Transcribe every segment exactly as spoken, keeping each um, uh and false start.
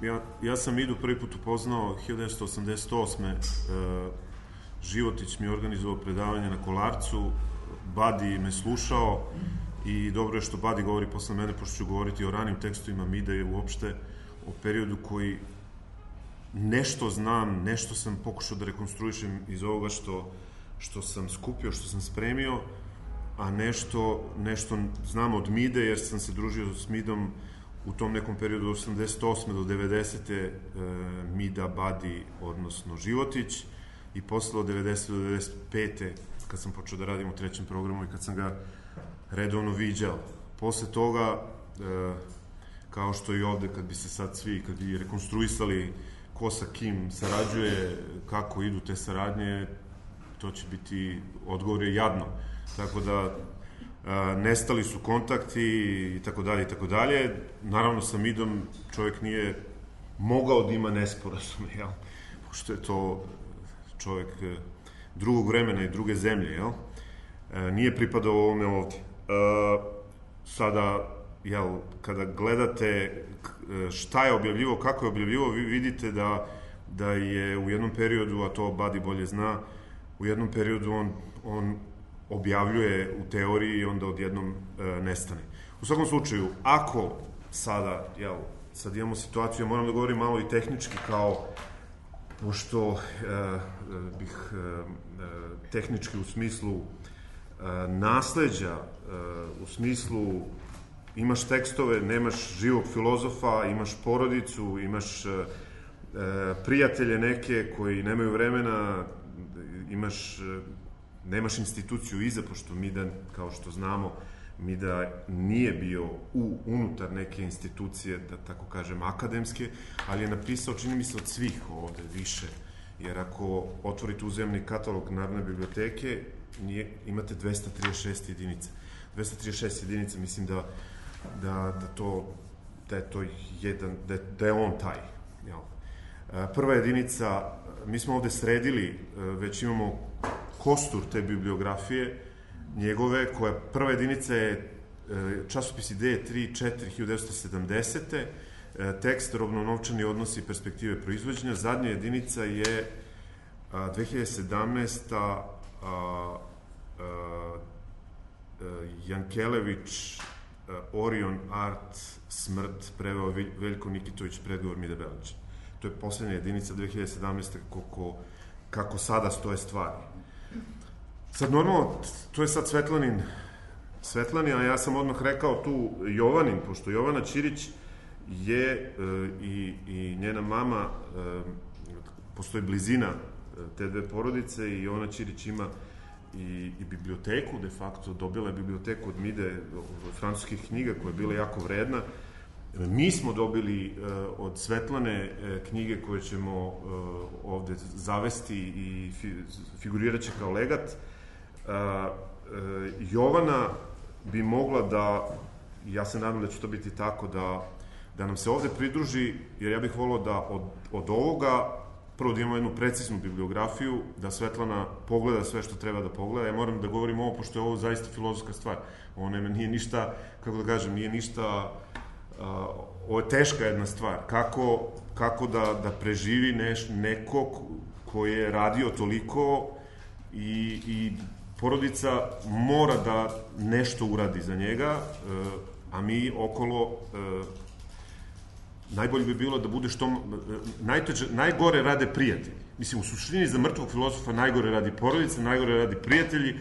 ja, ja sam Midu prvi put upoznao hiljadu devetsto osamdeset osme. E, Životić mi je organizovao predavanje na Kolarcu, Badi me slušao i dobro je što Badi govori posle mene, pošto ću govoriti o ranim tekstovima Mide i uopšte o periodu koji nešto znam, nešto sam pokušao da rekonstruišem iz ovoga što, što sam skupio, što sam spremio, a nešto, nešto znam od Mide, jer sam se družio s Midom u tom nekom periodu od osamdeset osme do devedesete. E, Mida, Badi, odnosno Životić, i posle od devedesete do devedeset pete kad sam počeo da radim u trećem programu i kad sam ga redovno viđao. Posle toga, e, kao što i ovde, kad bi se sad svi, kad bi rekonstruisali ko sa kim sarađuje, kako idu te saradnje, to će biti, odgovor je jadno. Tako da, a, nestali su kontakti i tako dalje i tako dalje. Naravno, sa Midom čovjek nije mogao da ima nesporazume, jel? Pošto je to čovjek drugog vremena i druge zemlje, jel? E, nije pripadao ovome ovdje. E, sada, jel, kada gledate šta je objavljivo, kako je objavljivo, vi vidite da, da je u jednom periodu, a to Badi bolje zna, u jednom periodu on, on objavljuje u teoriji i onda odjednom e, nestane. U svakom slučaju, ako sada, jel, sad imamo situaciju, ja moram da govorim malo i tehnički, kao, pošto e, bih e, tehnički u smislu e, nasleđa, e, u smislu imaš tekstove, nemaš živog filozofa, imaš porodicu, imaš e, prijatelje neke koji nemaju vremena, imaš, nemaš instituciju iza, pošto Mida, kao što znamo, Mida nije bio u, unutar neke institucije, da tako kažem, akademske, ali je napisao, čini mi se, od svih ovde više. Jer ako otvorite uzemni katalog Narodne biblioteke, nije, imate dvesta trideset šest jedinica. dvesta trideset šest jedinica, mislim da Da, da, to, da je to jedan, da je, da je on taj. Jel? Prva jedinica, mi smo ovde sredili, već imamo kostur te bibliografije njegove, koja prva jedinica je časopis Ideje tri četiri hiljadu devetsto sedamdesete. Tekst Robno-novčani odnosi i perspektive proizvođenja. Zadnja jedinica je dve hiljade sedamnaeste. A, a, a, Jankelević, Orion Art, smrt, preveo Veljko Nikitović, predgovor Mide Belića. To je poslednja jedinica dve hiljade sedamnaeste. Kako, kako sada stoje stvari. Sad normalno, to je sad Svetlanin, Svetlanin, a ja sam odmah rekao tu Jovanin, pošto Jovana Ćirić je e, i, i njena mama, e, postoji blizina te dve porodice i Jovana Ćirić ima I, i biblioteku, de facto dobila je biblioteku od Mide, francuskih knjiga, koja je bila jako vredna. Mi smo dobili uh, od Svetlane uh, knjige koje ćemo uh, ovde zavesti i fi, figurirat će kao legat. Uh, uh, Jovana bi mogla da, ja se nadam da će to biti tako, da, da nam se ovde pridruži, jer ja bih volao da od, od ovoga prvo da imamo jednu preciznu bibliografiju, da Svetlana pogleda sve što treba da pogleda. Ja moram da govorim ovo, pošto je ovo zaista filozofska stvar. Ovo ne, nije ništa, kako da kažem, nije ništa, uh, ovo je teška jedna stvar. Kako, kako da, da preživi neš, neko ko je radio toliko i, i porodica mora da nešto uradi za njega, uh, a mi okolo... Uh, najbolje bi bilo da bude što... Najteže, najgore rade prijatelji. Mislim, u suštini za mrtvog filozofa najgore radi porodica, najgore radi prijatelji,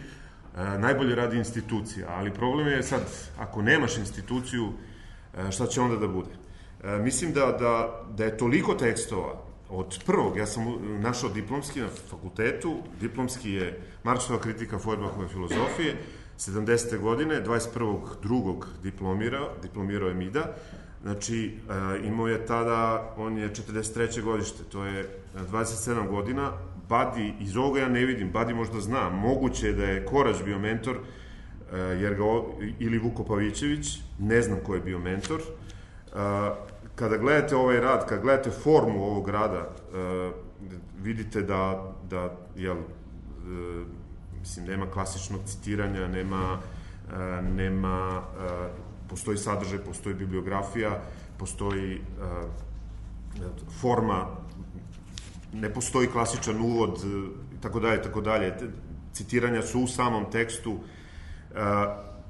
najbolje radi institucija. Ali problem je sad, ako nemaš instituciju, šta će onda da bude? Mislim da, da, da je toliko tekstova od prvog, ja sam našao diplomski na fakultetu, diplomski je Marksova kritika Feuerbachove filozofije, sedamdesete godine, dvadeset prvog drugog diplomirao, diplomirao je Mida. Znači, imao je tada, on je četrdeset treće godište, to je dvadeset sedam godina. Badi, iz ovoga ja ne vidim, Badi možda zna, moguće je da je Korać bio mentor, jer ga, ili Vuko Pavićević, ne znam ko je bio mentor. Kada gledate ovaj rad, kada gledate formu ovog rada, vidite da, da jel, mislim, nema klasičnog citiranja, nema, nema, postoji sadržaj, postoji bibliografija, postoji forma, ne postoji klasičan uvod, i tako dalje, tako dalje. Citiranja su u samom tekstu.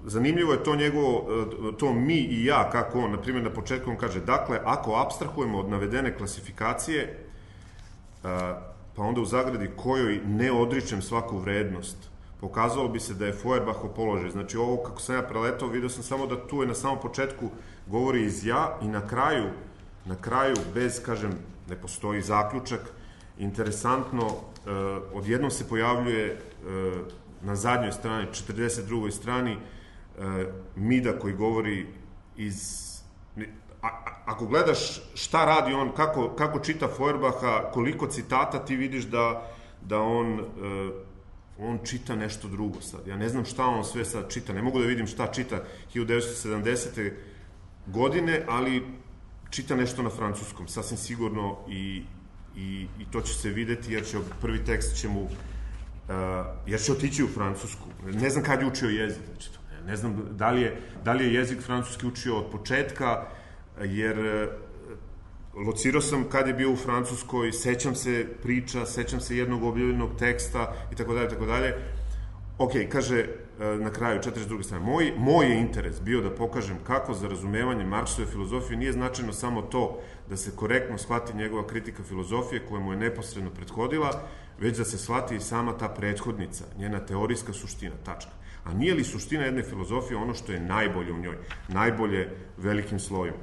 Zanimljivo je to njegovo, to mi i ja, kako on, na primjer, na početku on kaže, dakle, ako apstrahujemo od navedene klasifikacije, pa onda u zagradi kojoj ne odričem svaku vrednost, pokazalo bi se da je Feuerbachov položaj. Znači, ovo kako sam ja preletao, vidio sam samo da tu je na samom početku govori iz ja i na kraju, na kraju, bez, kažem, ne postoji zaključak, interesantno, odjednom se pojavljuje na zadnjoj strani, četrdeset drugoj strani, Mida koji govori iz... Ako gledaš šta radi on, kako, kako čita Feuerbacha, koliko citata, ti vidiš da, da on, on čita nešto drugo sad. Ja ne znam šta on sve sad čita, ne mogu da vidim šta čita hiljadu devetsto sedamdesete godine, ali čita nešto na francuskom, sasvim sigurno, i, i, i to će se videti, jer će prvi tekst će mu, uh, jer će otići u Francusku. Ne znam kad je učio jezik, znači to, ne, ne znam da li, je, da li je jezik francuski učio od početka, jer uh, locirao sam kad je bio u Francuskoj, sećam se priča, sećam se jednog objavljenog teksta i tako dalje, tako dalje. Ok, kaže na kraju, četrdeset druge strane, moj, moj je interes bio da pokažem kako za razumevanje Marksove filozofije nije značajno samo to da se korektno shvati njegova kritika filozofije koja mu je neposredno prethodila, već da se shvati i sama ta prethodnica, njena teorijska suština, tačka. A nije li suština jedne filozofije ono što je najbolje u njoj, najbolje velikim slojem?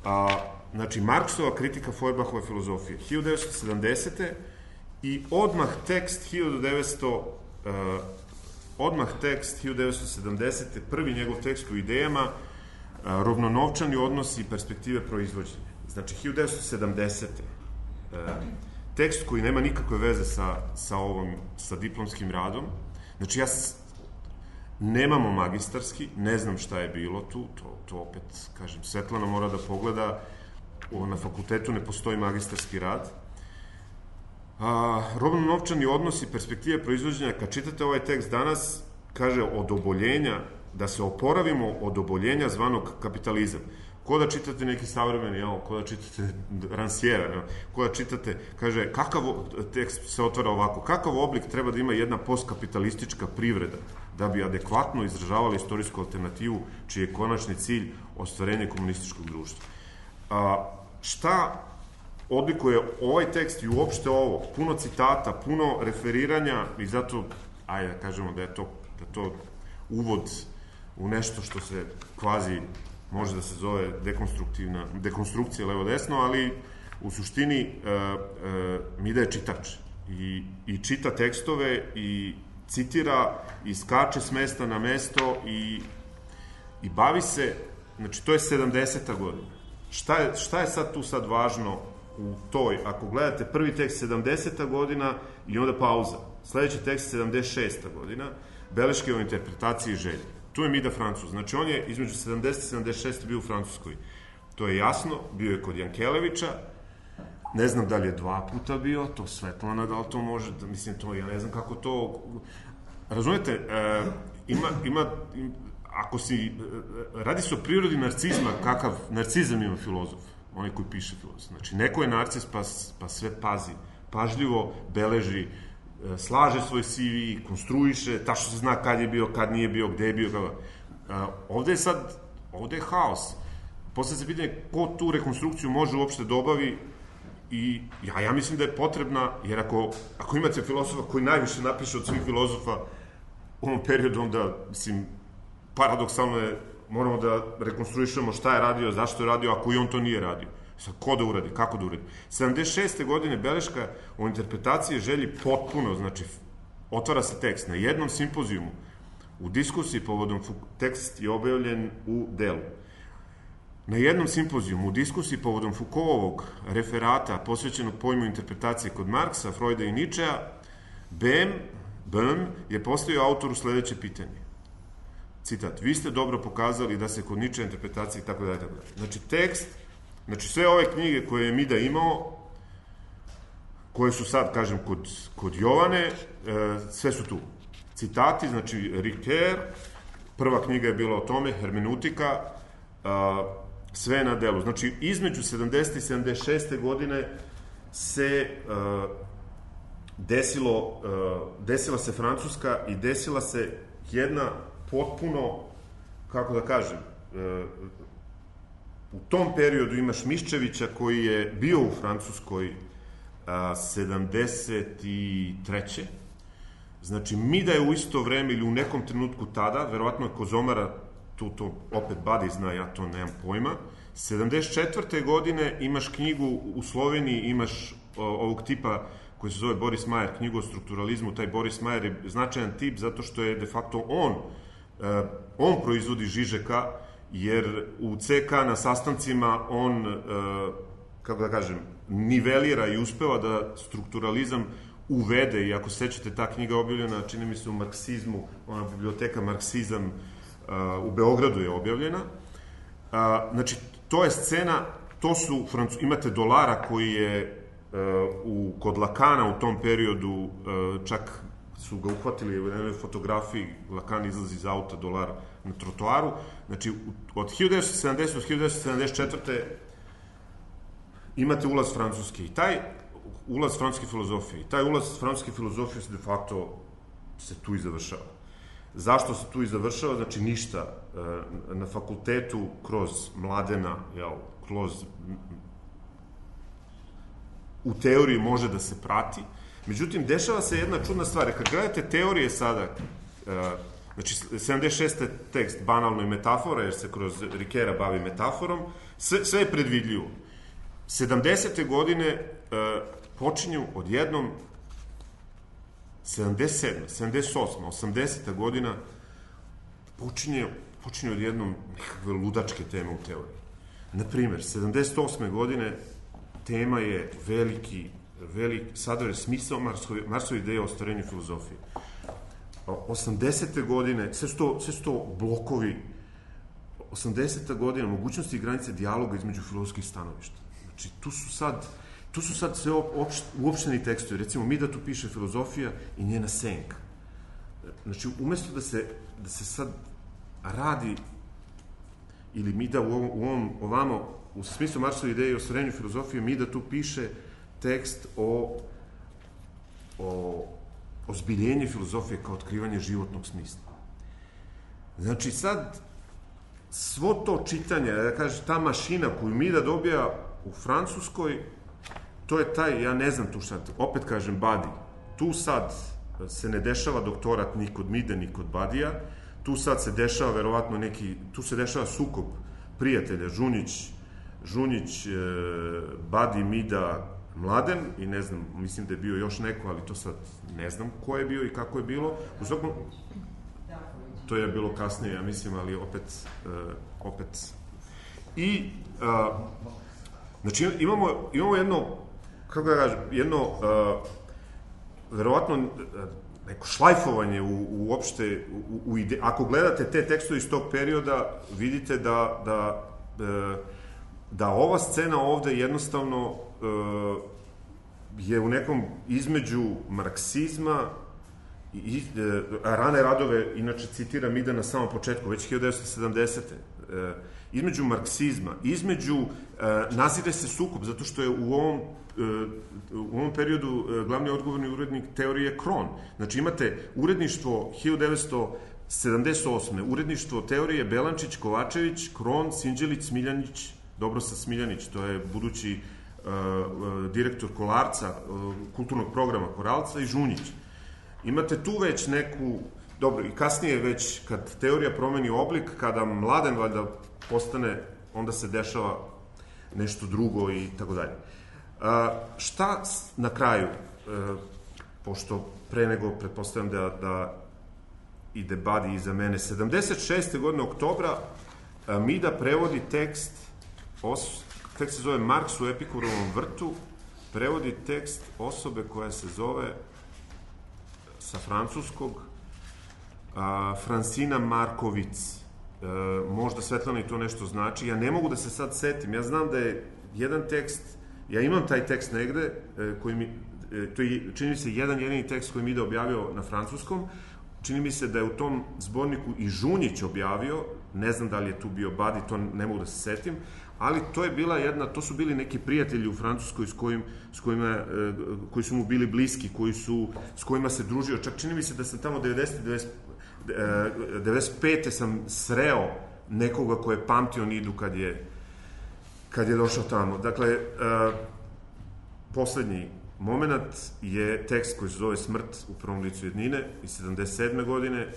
A, znači, Marksova kritika Feuerbachove filozofije, hiljadu devetsto sedamdesete i odmah tekst hiljadu devetsto odmah tekst hiljadu devetsto sedamdesete prvi njegov tekst u idejama, rovnonovčani odnosi i perspektive proizvođenja. Znači, hiljadu devetsto sedamdesete tekst koji nema nikakve veze sa, sa ovom, sa diplomskim radom. Znači, ja nemamo magistarski, ne znam šta je bilo tu, to, to opet, kažem, Svetlana mora da pogleda, na fakultetu ne postoji magistarski rad. A, robno-novčani odnos i perspektive proizvođenja, kad čitate ovaj tekst danas, kaže od oboljenja, da se oporavimo od oboljenja zvanog kapitalizam. Ko da čitate neki savremeni, jel, ko da čitate Ranciera, ko da čitate, kaže, kakav tekst se otvara ovako, kakav oblik treba da ima jedna postkapitalistička privreda da bi adekvatno izražavala istorijsku alternativu čiji je konačni cilj ostvarenje komunističkog društva. A, šta odlikuje ovaj tekst i uopšte ovo, puno citata, puno referiranja i zato, ajde da kažemo da je to, da to uvod u nešto što se kvazi može da se zove dekonstruktivna, dekonstrukcija levo-desno, ali u suštini e, e, Mida je čitač i, i čita tekstove i citira i skače s mesta na mesto i, i bavi se, znači to je sedamdeseta godina. Šta je, šta je sad tu sad važno u toj, ako gledate prvi tekst sedamdeseta godina i onda pauza, sledeći tekst sedamdeset šesta godina, beleške o interpretaciji želje. Tu je Mida Francuz, znači on je između sedamdesete i sedamdeset šeste bio u Francuskoj. To je jasno, bio je kod Jankelevića, ne znam da li je dva puta bio, to Svetlana, da li to može, da, mislim, to, ja ne znam kako to... Razumete, e, ima, ima, ako si, radi se o prirodi narcizma, kakav narcizam ima filozof, onaj koji piše filozof. Znači, neko je narcis pa, pa sve pazi, pažljivo beleži, slaže svoj C V, konstruiše, tačno se zna kad je bio, kad nije bio, gde je bio, kada. Ovde je sad, ovde je haos. Posle se pitanje ko tu rekonstrukciju može uopšte da obavi i ja, ja mislim da je potrebna, jer ako, ako imate filozofa koji najviše napiše od svih filozofa u ovom periodu, onda, mislim, paradoksalno je, moramo da rekonstruišemo šta je radio, zašto je radio, ako i on to nije radio. Sad, ko da uradi, kako da uradi. sedamdeset šeste godine beleška o interpretaciji želji potpuno, znači, otvara se tekst na jednom simpozijumu, u diskusiji povodom, tekst je objavljen u delu. Na jednom simpozijumu, u diskusiji povodom Foucaultovog referata posvećenog pojmu interpretacije kod Marksa, Freuda i Ničea, Bem, Bem je postavio autoru sledeće pitanje. Citat, vi ste dobro pokazali da se kod Ničea interpretacije i tako dalje, tako dalje. Znači, tekst, znači sve ove knjige koje je Mida imao, koje su sad, kažem, kod, kod Jovane, e, sve su tu. Citati, znači, Ricoeur, prva knjiga je bila o tome, hermeneutika, a, sve na delu. Znači, između sedamdesete i sedamdeset šeste godine se uh, desilo, uh, desila se Francuska i desila se jedna potpuno, kako da kažem, uh, u tom periodu imaš Miščevića koji je bio u Francuskoj uh, sedamdeset treće Znači, Mida je u isto vreme ili u nekom trenutku tada, verovatno je Kozomara, tu to opet Badi zna, ja to nemam pojma, sedamdeset četvrte godine imaš knjigu u Sloveniji, imaš o, ovog tipa koji se zove Boris Majer, knjigu o strukturalizmu. Taj Boris Majer je značajan tip zato što je de facto on, uh, on proizvodi Žižeka, jer u ce ka na sastancima on, uh, kako da kažem, nivelira i uspeva da strukturalizam uvede, i ako sećate, ta knjiga objavljena, čini mi se u Marksizmu, ona biblioteka Marksizam uh, u Beogradu je objavljena. Uh, znači, to je scena, to su, Francu, imate Dolara koji je uh, u, kod Lakana u tom periodu, uh, čak su ga uhvatili u jednoj fotografiji, Lakan izlazi iz auta, Dolar na trotoaru. Znači, od hiljadu devetsto sedamdesete do hiljadu devetsto sedamdeset četvrte imate ulaz Francuske i taj ulaz francuske filozofije. I taj ulaz francuske filozofije se de facto se tu i završava. Zašto se tu i završava? Znači, ništa. Na fakultetu, kroz Mladena, jel, kroz... u teoriji može da se prati. Međutim, dešava se jedna čudna stvar. Kad gledate teorije sada, znači, sedamdeset šeste tekst banalno je metafora, jer se kroz Rikera bavi metaforom, sve, sve je predvidljivo. sedamdesete godine počinju odjednom sedamdeset sedme, sedamdeset osme, osamdeseta godina počinje, počinje odjednom nekakve ludačke teme u teoriji. Naprimer, sedamdeset osme godine tema je veliki, veliki sadržaj, smisao Marsove, Marsove ideje o ostvarenju filozofije. osamdesete godine, sve su to, sve su to blokovi, osamdeseta godina, mogućnosti i granice dijaloga između filozofskih stanovišta. Znači, tu su sad Tu su sad sve uopšteni tekstovi. Recimo, Mida tu piše filozofija i njena senka. Znači, umesto da se, da se sad radi, ili Mida u ovom, u ovom ovamo, u smislu Marsove ideje o ostvarenju filozofije, Mida tu piše tekst o, o ozbiljenju filozofije kao otkrivanje životnog smisla. Znači, sad, svo to čitanje, da kažem, ta mašina koju Mida dobija u Francuskoj, to je taj, ja ne znam tu sad, opet kažem Badi, tu sad se ne dešava doktorat ni kod Mide, ni kod Badija, tu sad se dešava verovatno neki, tu se dešava sukob prijatelja, Žunjić, Žunjić, Badi, Mida, Mladen, i ne znam, mislim da je bio još neko, ali to sad ne znam ko je bio i kako je bilo. U svakom, to je bilo kasnije, ja mislim, ali opet, opet. I, znači, imamo, imamo jedno, kako da kažem, jedno, uh, verovatno, uh, neko šlajfovanje u, uopšte, u, u ide... ako gledate te tekstove iz tog perioda, vidite da, da, uh, da ova scena ovde jednostavno uh, je u nekom između marksizma i uh, rane radove, inače citiram Mida na samom početku, već hiljadu devetsto sedamdesete Uh, između marksizma, između, uh, nazire se sukob, zato što je u ovom, uh, u ovom periodu uh, glavni odgovorni urednik teorije Kron. Znači, imate uredništvo hiljadu devetsto sedamdeset osme uredništvo teorije Belančić, Kovačević, Kron, Sinđelić, Smiljanić, Dobrosa Smiljanić, to je budući uh, uh, direktor Kolarca, uh, kulturnog programa Koralca, i Žunjić. Imate tu već neku, dobro, i kasnije već, kad teorija promeni oblik, kada Mladen valjda postane, onda se dešava nešto drugo i tako dalje. Šta na kraju, a, pošto pre nego pretpostavljam da, da ide Badi iza mene, sedamdeset šeste godine oktobra a, Mida prevodi tekst, os, tekst se zove Marks u Epikurovom vrtu, prevodi tekst osobe koja se zove sa francuskog Uh, Francina Markovic. Uh, možda Svetlana i to nešto znači. Ja ne mogu da se sad setim. Ja znam da je jedan tekst, ja imam taj tekst negde, uh, koji mi, uh, to je, čini mi se, jedan jedini tekst koji mi ide objavio na francuskom. Čini mi se da je u tom zborniku i Žunjić objavio, ne znam da li je tu bio Badi, to ne mogu da se setim, ali to je bila jedna, to su bili neki prijatelji u Francuskoj s, kojim, s kojima, koji su mu bili bliski, koji su, s kojima se družio. Čak čini mi se da sam tamo devedeset, devedeset pete sam sreo nekoga ko je pamtio Nidu kad je, kad je došao tamo. Dakle, poslednji moment je tekst koji se zove Smrt u prvom licu jednine iz sedamdeset sedme godine,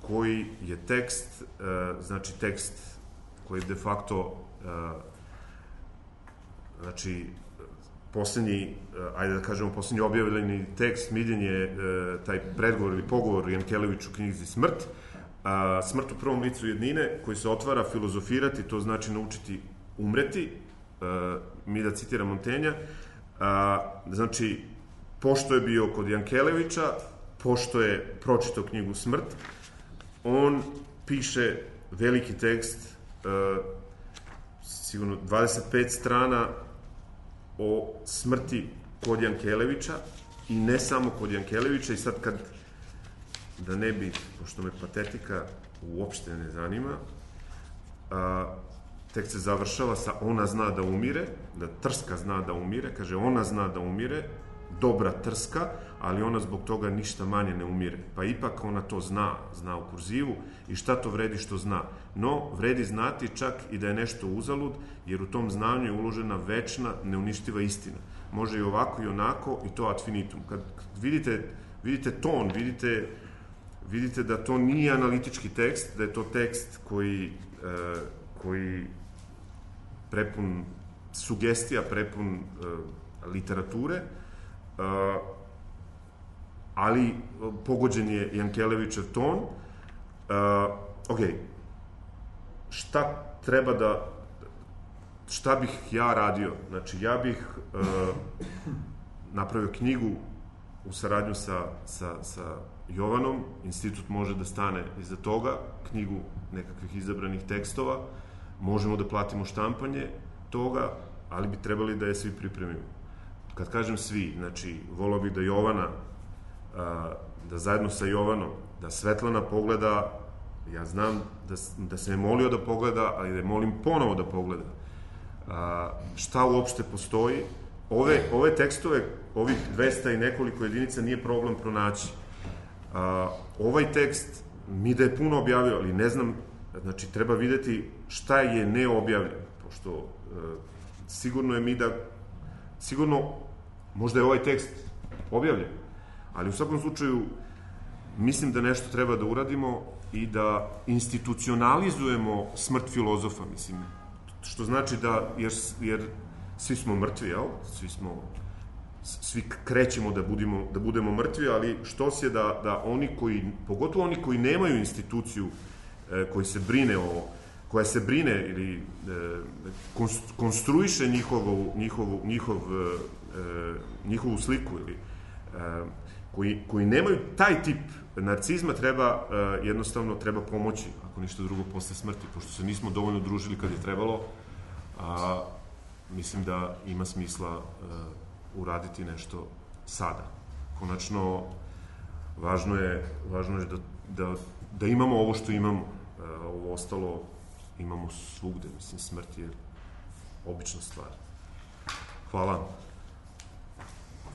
koji je tekst, znači tekst koji de facto, znači, poslednji, ajde da kažemo, poslednji objavljeni tekst, Miljen je taj predgovor ili pogovor Jankelević u knjizi Smrt. Smrt u prvom licu jednine, koji se otvara filozofirati, to znači naučiti umreti, mi da citiram Montenja, znači, pošto je bio kod Jankelevića, pošto je pročitao knjigu Smrt, on piše veliki tekst, sigurno dvadeset pet strana o smrti kod Jankelevića i ne samo kod Jankelevića. I sad kad, da ne bi, pošto me patetika uopšte ne zanima, tekst se završava sa ona zna da umire, da Trska zna da umire, kaže ona zna da umire, dobra Trska, ali ona zbog toga ništa manje ne umire. Pa ipak ona to zna, zna u kurzivu i šta to vredi što zna. No, vredi znati čak i da je nešto uzalud, jer u tom znanju je uložena večna, neuništiva istina. Može i ovako i onako i to ad finitum. Kad vidite, vidite ton, vidite, vidite da to nije analitički tekst, da je to tekst koji, koji prepun sugestija, prepun literature, ali pogođen je Jankelevićev ton. Ok, šta treba da, šta bih ja radio? Znači, ja bih napravio knjigu u saradnju sa, sa, sa Jovanom, institut može da stane iza toga, knjigu nekakvih izabranih tekstova, možemo da platimo štampanje toga, ali bi trebali da je svi pripremimo. Kad kažem svi, znači, volao bih da Jovana, da zajedno sa Jovanom, da Svetlana pogleda, ja znam da, da se je molio da pogleda, ali da je molim ponovo da pogleda. Šta uopšte postoji? Ove, ove tekstove, ovih dvesta i nekoliko jedinica nije problem pronaći. Ovaj tekst mi da je puno objavio, ali ne znam, znači, treba videti šta je neobjavljeno, pošto sigurno je mi da sigurno, možda je ovaj tekst objavljen, ali u svakom slučaju mislim da nešto treba da uradimo i da institucionalizujemo smrt filozofa, mislim, što znači da, jer, jer svi smo mrtvi, jel? Svi smo, svi krećemo da budemo, da budemo mrtvi, ali što se da, da oni koji, pogotovo oni koji nemaju instituciju, koji se brine o koja se brine ili e, konstruiše njihovu, njihovu, njihov, e, njihovu sliku ili e, koji, koji nemaju taj tip narcizma, treba e, jednostavno treba pomoći, ako ništa drugo, posle smrti, pošto se nismo dovoljno družili kad je trebalo, a mislim da ima smisla e, uraditi nešto sada. Konačno, važno je, važno je da, da, da imamo ovo što imamo, e, ovo ostalo imamo svugde, mislim, smrt je obična stvar. Hvala.